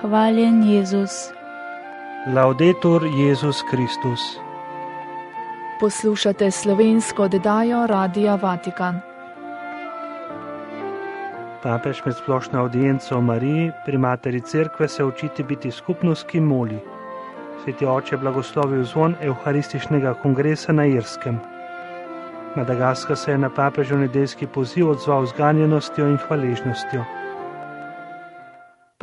Hvaljen Jezus. Laudetur Jezus Kristus. Poslušate slovensko oddajo Radia Vatikan. Papež med splošno audienco o Mariji pri Materi Cerkve se učiti biti skupnost, ki moli. Sveti oče blagoslovil zvon Evharističnega kongresa na Irskem. Madagaskar se je na papežev nedeljski poziv odzval z ganjenostjo in hvaležnostjo.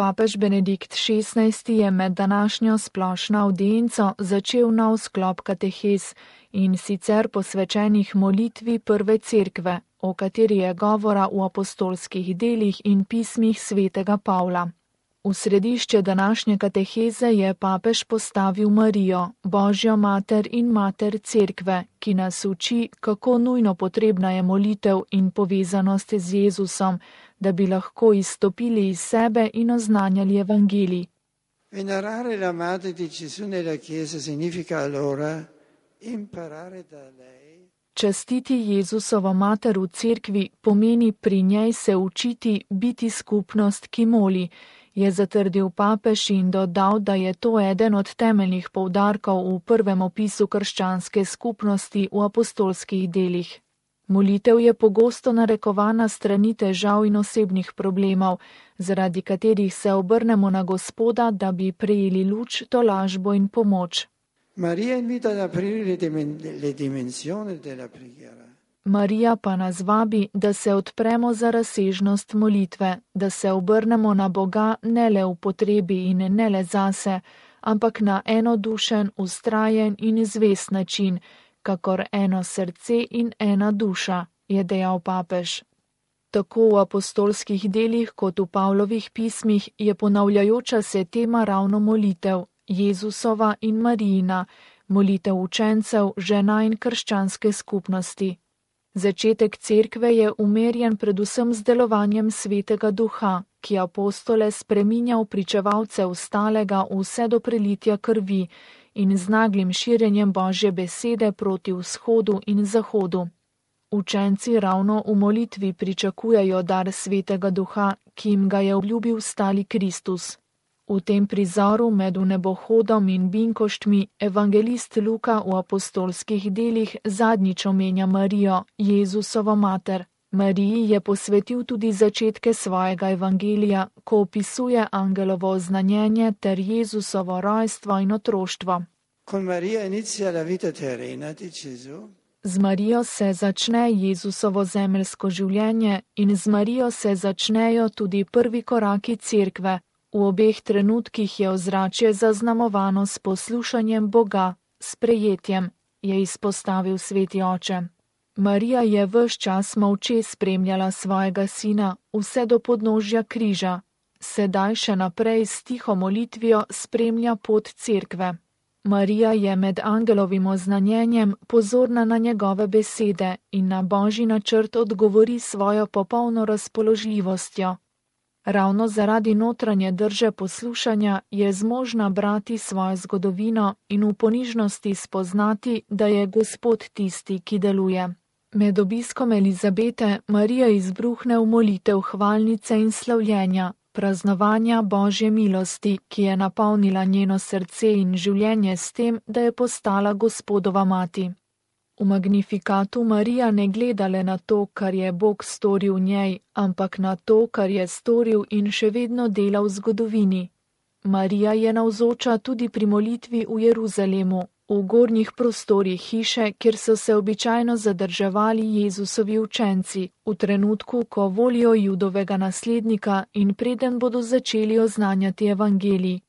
Papež Benedikt XVI je med današnjo splošno audienco začel nov sklop katehez, in sicer posvečenih molitvi prve cerkve, o kateri je govora v apostolskih delih in pismih svetega Pavla. V središče današnje kateheze je papež postavil Marijo, Božjo mater in mater cerkve, ki nas uči, kako nujno potrebna je molitev in povezanost z Jezusom, da bi lahko izstopili iz sebe in oznanjali evangelij. Venerare la Madre di Gesù nella Chiesa significa allora imparare da lei. Častiti Jezusovo mater v cerkvi pomeni pri njej se učiti biti skupnost, ki moli, je zatrdil papež in dodal, da je to eden od temeljnih poudarkov v prvem opisu krščanske skupnosti v apostolskih delih. Molitev je pogosto narekovana strani težav in osebnih problemov, zaradi katerih se obrnemo na Gospoda, da bi prejeli luč, tolažbo in pomoč. Maria invita ad aprire le dimensioni della preghiera. Marija pa nas vabi, da se odpremo za razsežnost molitve, da se obrnemo na Boga ne le v potrebi in ne le zase, ampak na enodušen, vztrajen in zvest način, kakor eno srce in ena duša, je dejal papež. Tako v apostolskih delih kot v Pavlovih pismih je ponavljajoča se tema ravno molitev, Jezusova in Marijina, molitev učencev, žena in krščanske skupnosti. Začetek cerkve je umerjen predvsem z delovanjem Svetega Duha, ki apostole spreminja v pričevalce ostalega vse do prelitja krvi in z naglim širjenjem Božje besede proti vzhodu in zahodu. Učenci ravno v molitvi pričakujejo dar Svetega Duha, ki jim ga je obljubil stali Kristus. V tem prizoru med vnebohodom in binkoštmi evangelist Luka v apostolskih delih zadnjič omenja Marijo, Jezusovo mater. Mariji je posvetil tudi začetke svojega evangelija, ko opisuje angelovo oznanjenje ter Jezusovo rojstvo in otroštvo. Con Maria inizia la vita terrena di Gesù. Z Marijo se začne Jezusovo zemeljsko življenje in z Marijo se začnejo tudi prvi koraki cerkve. V obeh trenutkih je ozračje zaznamovano s poslušanjem Boga, s prejetjem, je izpostavil sveti oče. Marija je ves čas molče spremljala svojega sina vse do podnožja križa, sedaj še naprej s tiho molitvijo spremlja pot cerkve. Marija je med angelovim oznanjenjem pozorna na njegove besede in na Božji načrt odgovori svojo popolno razpoložljivostjo. Ravno zaradi notranje drže poslušanja je zmožna brati svojo zgodovino in v ponižnosti spoznati, da je Gospod tisti, ki deluje. Med obiskom Elizabete Marija izbruhne v molitev hvalnice in slavljenja, praznovanja Božje milosti, ki je napolnila njeno srce in življenje s tem, da je postala Gospodova mati. V Magnifikatu Marija ne gleda le na to, kar je Bog storil v njej, ampak na to, kar je storil in še vedno dela v zgodovini. Marija je navzoča tudi pri molitvi v Jeruzalemu, v gornjih prostorih hiše, kjer so se običajno zadrževali Jezusovi učenci, v trenutku, ko volijo Judovega naslednika in preden bodo začeli oznanjati evangelij.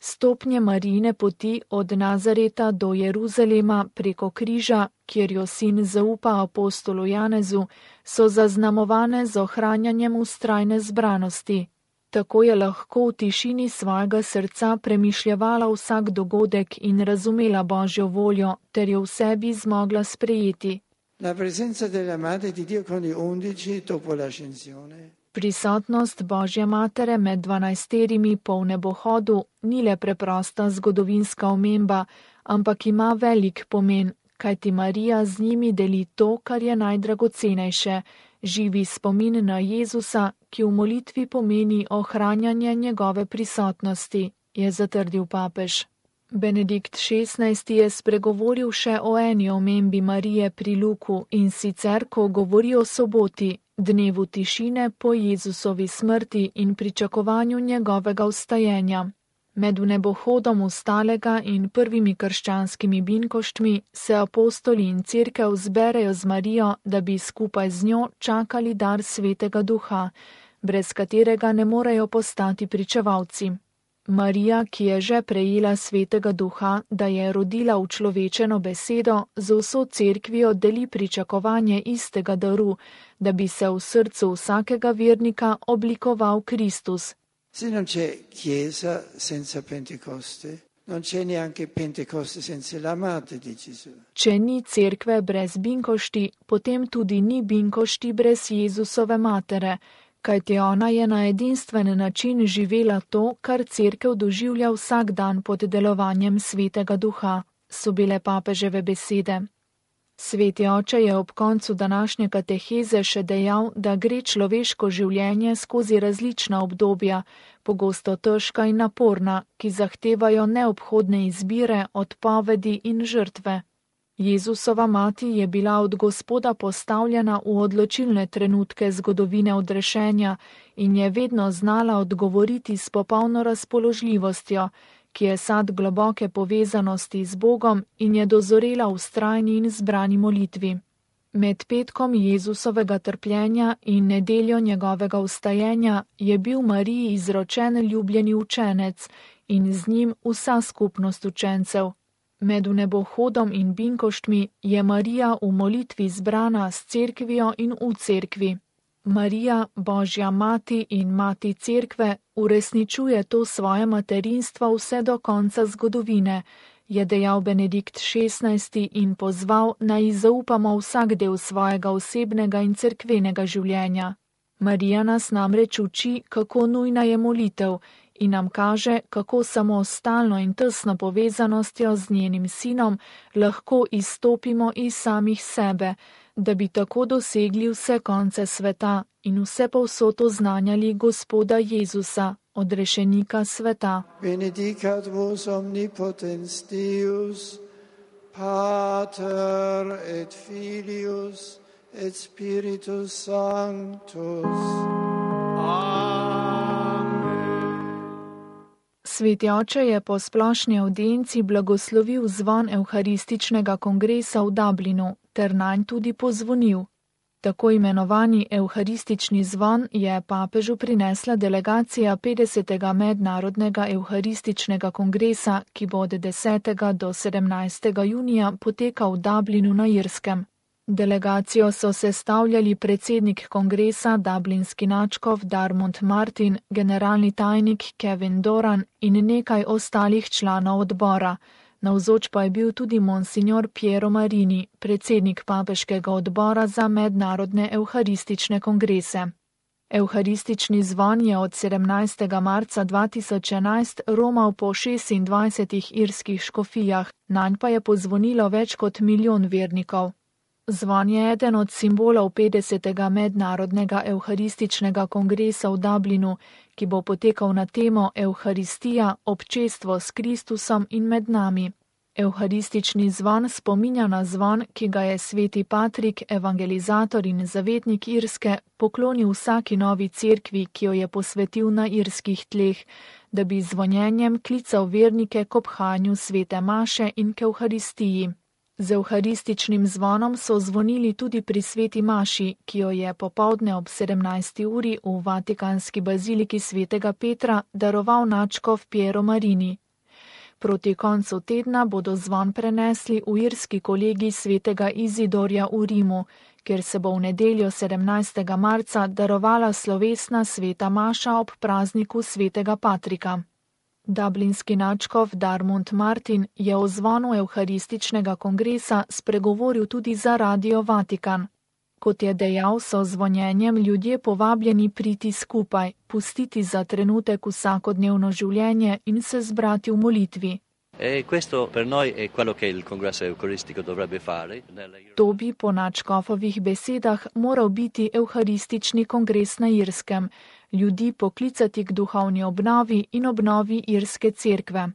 Stopnje Marijine poti od Nazareta do Jeruzalema preko križa, kjer jo sin zaupa apostolu Janezu, so zaznamovane z ohranjanjem vztrajne zbranosti. Tako je lahko v tišini svojega srca premišljevala vsak dogodek in razumela Božjo voljo, ter jo v sebi zmogla sprejeti. La presenza della Madre di Dio con gli 11 dopo l'ascensione. Prisotnost Božje matere med 12 po nebohodu ni le preprosta zgodovinska omemba, ampak ima velik pomen, kajti Marija z njimi deli to, kar je najdragocenejše, živi spomin na Jezusa, ki v molitvi pomeni ohranjanje njegove prisotnosti, je zatrdil papež. Benedikt XVI je spregovoril še o eni omembi Marije pri Luku, in sicer, ko govori o soboti, dnevu tišine po Jezusovi smrti in pričakovanju njegovega vstajenja. Med vnebohodom vstalega in prvimi krščanskimi binkoštmi se apostoli in cerkev zberejo z Marijo, da bi skupaj z njo čakali dar Svetega Duha, brez katerega ne morejo postati pričevalci. Marija, ki je že prejela Svetega Duha, da je rodila učlovečeno besedo, z vso cerkvijo deli pričakovanje istega daru, da bi se v srcu vsakega vernika oblikoval Kristus. Se non c'è Chiesa senza Pentecoste, non c'è neanche Pentecoste senza la Madre di Gesù. Če ni cerkve brez binkošti, potem tudi ni binkošti brez Jezusove matere, kajti ona je na edinstven način živela to, kar cerkev doživlja vsak dan pod delovanjem Svetega Duha, so bile papeževe besede. Sveti oče je ob koncu današnje kateheze še dejal, da gre človeško življenje skozi različna obdobja, pogosto težka in naporna, ki zahtevajo neobhodne izbire, odpovedi in žrtve. Jezusova mati je bila od Gospoda postavljena v odločilne trenutke zgodovine odrešenja in je vedno znala odgovoriti s popolno razpoložljivostjo, ki je sad globoke povezanosti z Bogom in je dozorela v vztrajni in zbrani molitvi. Med petkom Jezusovega trpljenja in nedeljo njegovega vstajenja je bil Mariji izročen ljubljeni učenec in z njim vsa skupnost učencev. Med vnebohodom in binkoštmi je Marija v molitvi zbrana s cerkvijo in v cerkvi. Marija, Božja mati in mati cerkve, uresničuje to svoje materinstvo vse do konca zgodovine, je dejal Benedikt XVI in pozval, naj ji zaupamo vsak del svojega osebnega in cerkvenega življenja. Marija nas namreč uči, kako nujna je molitev, in nam kaže, kako samo stalno in tesno povezanostjo z njenim sinom lahko izstopimo iz samih sebe, da bi tako dosegli vse konce sveta in vse povsod oznanjali Gospoda Jezusa, odrešenika sveta. Benedicat vos omnipotens Deus, Pater et Filius et Spiritus Sanctus. Sveti oče je po splošni avdienci blagoslovil zvon Evharističnega kongresa v Dublinu ter nanj tudi pozvonil. Tako imenovani Evharistični zvon je papežu prinesla delegacija 50. mednarodnega Evharističnega kongresa, ki bo od 10. do 17. junija potekal v Dublinu na Irskem. Delegacijo so sestavljali predsednik kongresa, dublinski nadškof Darmond Martin, generalni tajnik Kevin Doran in nekaj ostalih članov odbora. Navzoč pa je bil tudi monsignor Piero Marini, predsednik papeškega odbora za mednarodne evharistične kongrese. Evharistični zvon je od 17. marca 2011 romal po 26 irskih škofijah, nanj pa je pozvonilo več kot 1 milijon vernikov. Zvon je eden od simbolov 50. mednarodnega evharističnega kongresa v Dublinu, ki bo potekal na temo Evharistija, občestvo s Kristusom in med nami. Evharistični zvon spominja na zvon, ki ga je sveti Patrik, evangelizator in zavetnik Irske, poklonil vsaki novi cerkvi, ki jo je posvetil na irskih tleh, da bi zvonjenjem klical vernike k obhajanju svete maše in k Evharistiji. Z evharističnim zvonom so zvonili tudi pri sveti maši, ki jo je popoldne ob 17. uri v Vatikanski baziliki svetega Petra daroval nadškof Piero Marini. Proti koncu tedna bodo zvon prenesli v irski kolegij svetega Izidorja v Rimu, kjer se bo v nedeljo 17. marca darovala slovesna sveta maša ob prazniku svetega Patrika. Dublinski nadškof Darmond Martin je o zvonu evharističnega kongresa spregovoril tudi za Radio Vatikan. Kot je dejal, so zvonjenjem ljudje povabljeni priti skupaj, pustiti za trenutek vsakodnevno življenje in se zbrati v molitvi. E questo per noi è quello che il congresso eucaristico dovrebbe fare. To bi po nadškofovih besedah moral biti evharistični kongres na Irskem, ljudi poklicati k duhovni obnovi in obnovi irske cerkve.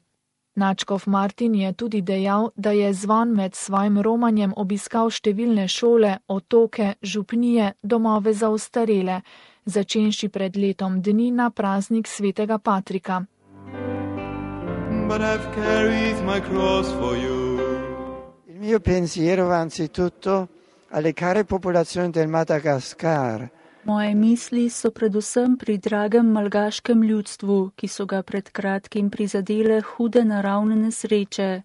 Nadškof Martin je tudi dejal, da je Zvon med svojim romanjem obiskal številne šole, otoke, župnije, domove za ostarele, začenši pred letom dni na praznik svetega Patrika. But I've carried my cross for you. Il mio pensiero va anzitutto alle care popolazioni del Madagascar. Moje misli so predvsem pri dragem malgaškem ljudstvu, ki so ga pred kratkim prizadele hude naravne nesreče.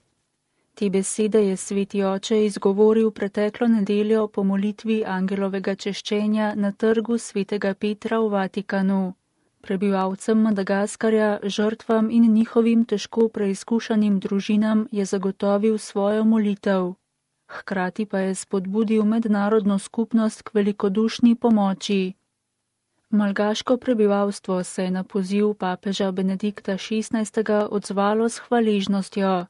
Te besede je sveti oče izgovoril preteklo nedeljo po molitvi angelovega češčenja na trgu svetega Petra v Vatikanu. Prebivalcem Madagaskarja, žrtvam in njihovim težko preizkušanim družinam je zagotovil svojo molitev. Hkrati pa je spodbudil mednarodno skupnost k velikodušni pomoči. Malgaško prebivalstvo se je na poziv papeža Benedikta XVI. Odzvalo s hvaležnostjo.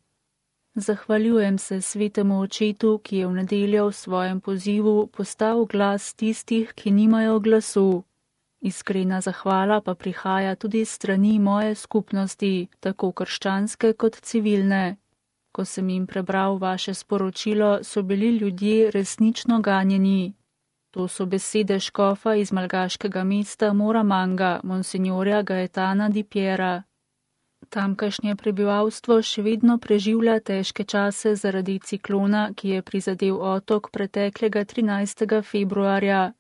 Zahvaljujem se svetemu očetu, ki je v nedeljo v svojem pozivu postal glas tistih, ki nimajo glasu. Iskrena zahvala pa prihaja tudi s strani moje skupnosti, tako krščanske kot civilne. Ko sem jim prebral vaše sporočilo, so bili ljudje resnično ganjeni. To so besede škofa iz malgaškega mesta Moramanga, monsignorja Gaetana Di Piera. Tamkajšnje prebivalstvo še vedno preživlja težke čase zaradi ciklona, ki je prizadel otok preteklega 13. februarja.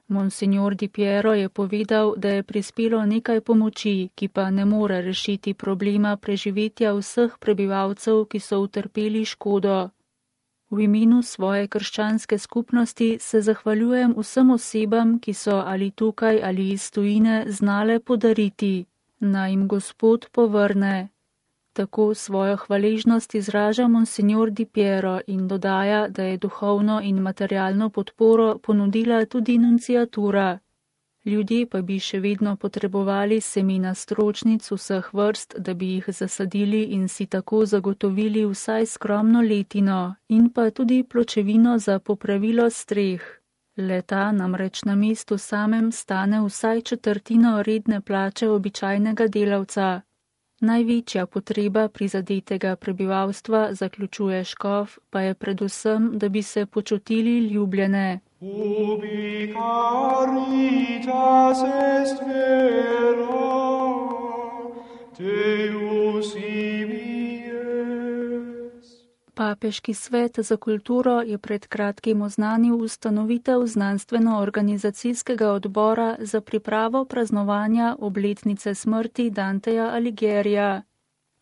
Monsignor Di Piero je povedal, da je prispelo nekaj pomoči, ki pa ne more rešiti problema preživetja vseh prebivalcev, ki so utrpeli škodo. V imenu svoje krščanske skupnosti se zahvaljujem vsem osebam, ki so ali tukaj ali iz tujine znale podariti. Naj jim Gospod povrne. Tako svojo hvaležnost izraža monsignor Di Piero in dodaja, da je duhovno in materialno podporo ponudila tudi nunciatura. Ljudje pa bi še vedno potrebovali semena stročnic vseh vrst, da bi jih zasadili in si tako zagotovili vsaj skromno letino in pa tudi pločevino za popravilo streh. Leta namreč na mestu samem stane vsaj četrtino redne plače običajnega delavca. Največja potreba prizadetega prebivalstva, zaključuje škof, pa je predvsem, da bi se počutili ljubljene. Ubi caritas est vera, Deus ibi est. Papeški svet za kulturo je pred kratkim oznanil ustanovitev znanstveno-organizacijskega odbora za pripravo praznovanja obletnice smrti Danteja Alighiera.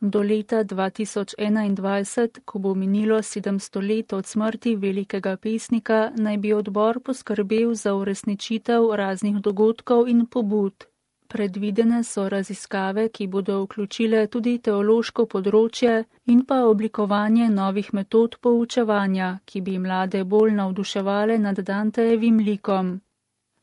Do leta 2021, ko bo minilo 700 let od smrti velikega pesnika, naj bi odbor poskrbel za uresničitev raznih dogodkov in pobud. Predvidene so raziskave, ki bodo vključile tudi teološko področje in pa oblikovanje novih metod poučevanja, ki bi mlade bolj navduševale nad Dantejevim likom.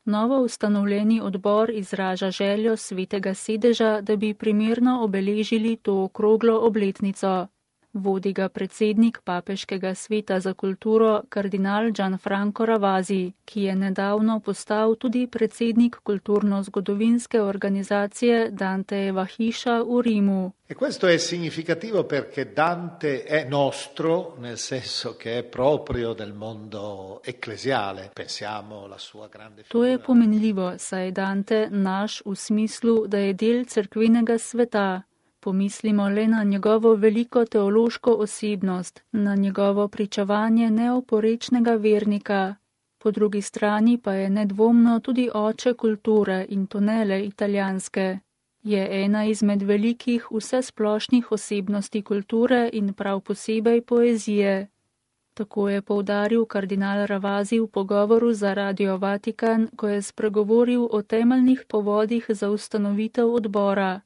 Novo ustanovljeni odbor izraža željo svetega sedeža, da bi primerno obeležili to okroglo obletnico. Vodi ga predsednik Papeškega sveta za kulturo kardinal Gianfranco Ravasi, ki je nedavno postal tudi predsednik kulturno-zgodovinske organizacije Dantejeva hiša v Rimu. E questo è significativo perché Dante è nostro, nel senso che è proprio del mondo ecclesiale. Pensiamo alla sua grande figura. To je pomenljivo, saj je Dante naš v smislu, da je del cerkvenega sveta. Pomislimo le na njegovo veliko teološko osebnost, na njegovo pričevanje neoporečnega vernika. Po drugi strani pa je nedvomno tudi oče kulture in to ne le italijanske. Je ena izmed velikih vsesplošnih osebnosti kulture in prav posebej poezije. Tako je poudaril kardinal Ravasi v pogovoru za Radio Vatikan, ko je spregovoril o temeljnih povodih za ustanovitev odbora.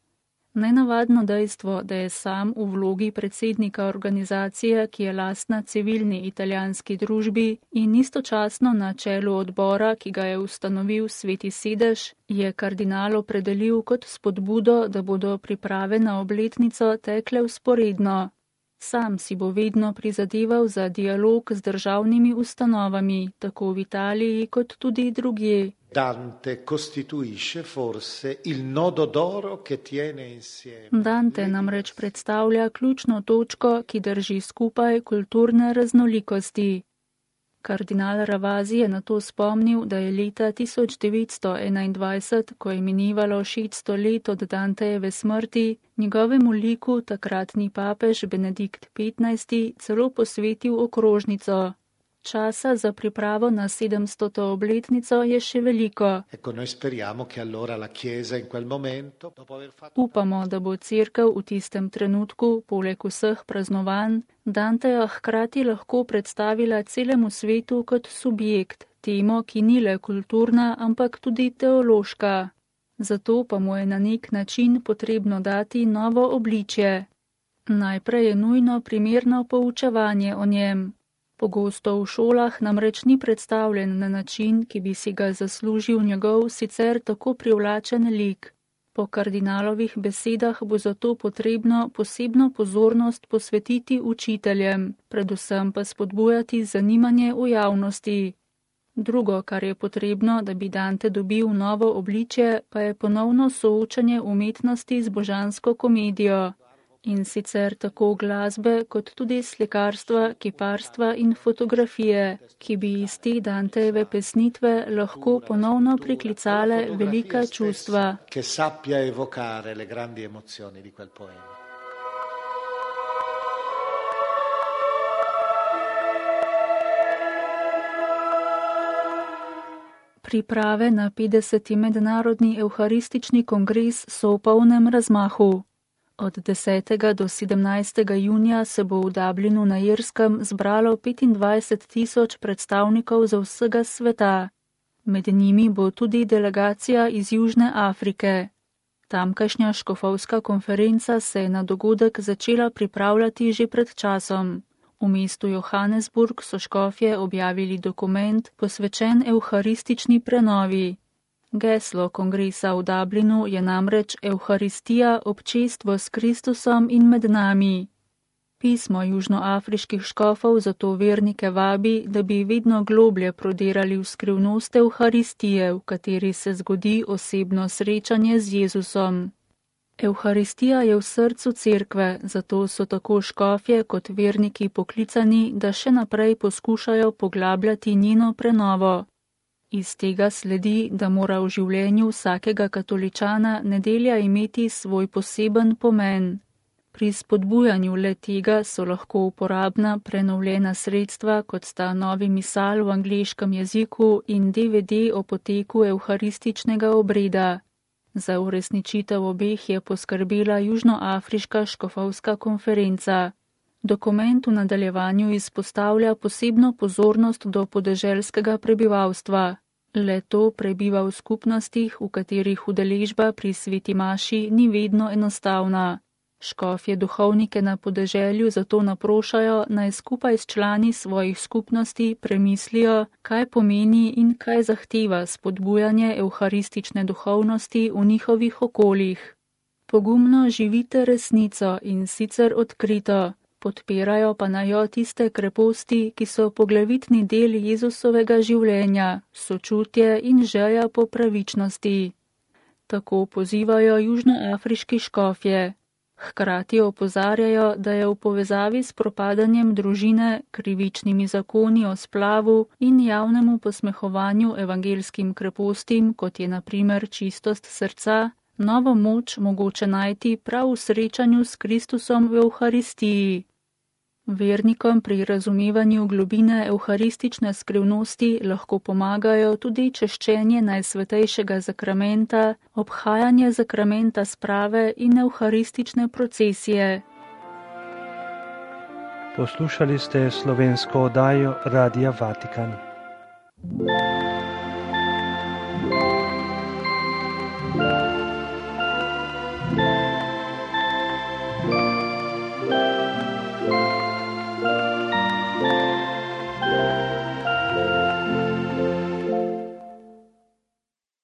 Nenavadno dejstvo, da je sam v vlogi predsednika organizacije, ki je lastna civilni italijanski družbi in istočasno na čelu odbora, ki ga je ustanovil sveti sedež, je kardinal opredelil kot spodbudo, da bodo priprave na obletnico tekle vzporedno. Sam si bo vedno prizadeval za dialog z državnimi ustanovami, tako v Italiji kot tudi drugje. Dante costituisce forse il nodo d'oro che tiene insieme. Dante namreč predstavlja ključno točko, ki drži skupaj kulturne raznolikosti. Kardinal Ravasi je na to spomnil, da je leta 1921, ko je minivalo 600 let od Dantejeve smrti, njegovemu liku takratni papež Benedikt XV celo posvetil okrožnico. Časa za pripravo na 700. obletnico je še veliko. Upamo, da bo cerkev v tistem trenutku, poleg vseh praznovanj, Danteja hkrati lahko predstavila celemu svetu kot subjekt, temo, ki ni le kulturna, ampak tudi teološka. Zato pa mu je na nek način potrebno dati novo obličje. Najprej je nujno primerno poučevanje o njem. Pogosto v šolah namreč ni predstavljen na način, ki bi si ga zaslužil njegov sicer tako privlačen lik. Po kardinalovih besedah bo zato potrebno posebno pozornost posvetiti učiteljem, predvsem pa spodbujati zanimanje v javnosti. Drugo, kar je potrebno, da bi Dante dobil novo obličje, pa je ponovno soočanje umetnosti z božansko komedijo. In sicer tako glasbe, kot tudi slikarstva, kiparstva in fotografije, ki bi iz te Dantejeve pesnitve lahko ponovno priklicale velika čustva. Priprave na 50. mednarodni evharistični kongres so v polnem razmahu. Od 10. do 17. junija se bo v Dublinu na Irskem zbralo 25.000 predstavnikov za vsega sveta. Med njimi bo tudi delegacija iz Južne Afrike. Tamkajšnja škofovska konferenca se je na dogodek začela pripravljati že pred časom. V mestu Johannesburg so škofje objavili dokument posvečen evharistični prenovi. Geslo kongresa v Dublinu je namreč Evharistija, občestvo s Kristusom in med nami. Pismo južnoafriških škofov zato vernike vabi, da bi vedno globlje prodirali v skrivnost Evharistije, v kateri se zgodi osebno srečanje z Jezusom. Evharistija je v srcu cerkve, zato so tako škofje kot verniki poklicani, da še naprej poskušajo poglabljati njeno prenovo. Iz tega sledi, da mora v življenju vsakega katoličana nedelja imeti svoj poseben pomen. Pri spodbujanju le tega so lahko uporabna prenovljena sredstva, kot sta novi misal v angleškem jeziku in DVD o poteku evharističnega obreda. Za uresničitev obeh je poskrbela Južnoafriška škofovska konferenca. Dokument v nadaljevanju izpostavlja posebno pozornost do podeželskega prebivalstva. Le to prebiva v skupnostih, v katerih udeležba pri sveti maši ni vedno enostavna. Škofje duhovnike na podeželju zato naprošajo, naj skupaj s člani svojih skupnosti premislijo, kaj pomeni in kaj zahteva spodbujanje evharistične duhovnosti v njihovih okoljih. Pogumno živite resnico in sicer odkrito. Podpirajo pa naj jo tiste kreposti, ki so poglavitni del Jezusovega življenja, sočutje in želja po pravičnosti. Tako pozivajo južnoafriški škofje. Hkrati opozarjajo, da je v povezavi s propadanjem družine, krivičnimi zakoni o splavu in javnemu posmehovanju evangelskim krepostim, kot je na primer čistost srca, novo moč mogoče najti prav v srečanju s Kristusom v Evharistiji. Vernikom pri razumevanju globine evharistične skrivnosti lahko pomagajo tudi češčenje najsvetejšega zakramenta, obhajanje zakramenta sprave in evharistične procesije. Poslušali ste slovensko oddajo Radia Vatikan.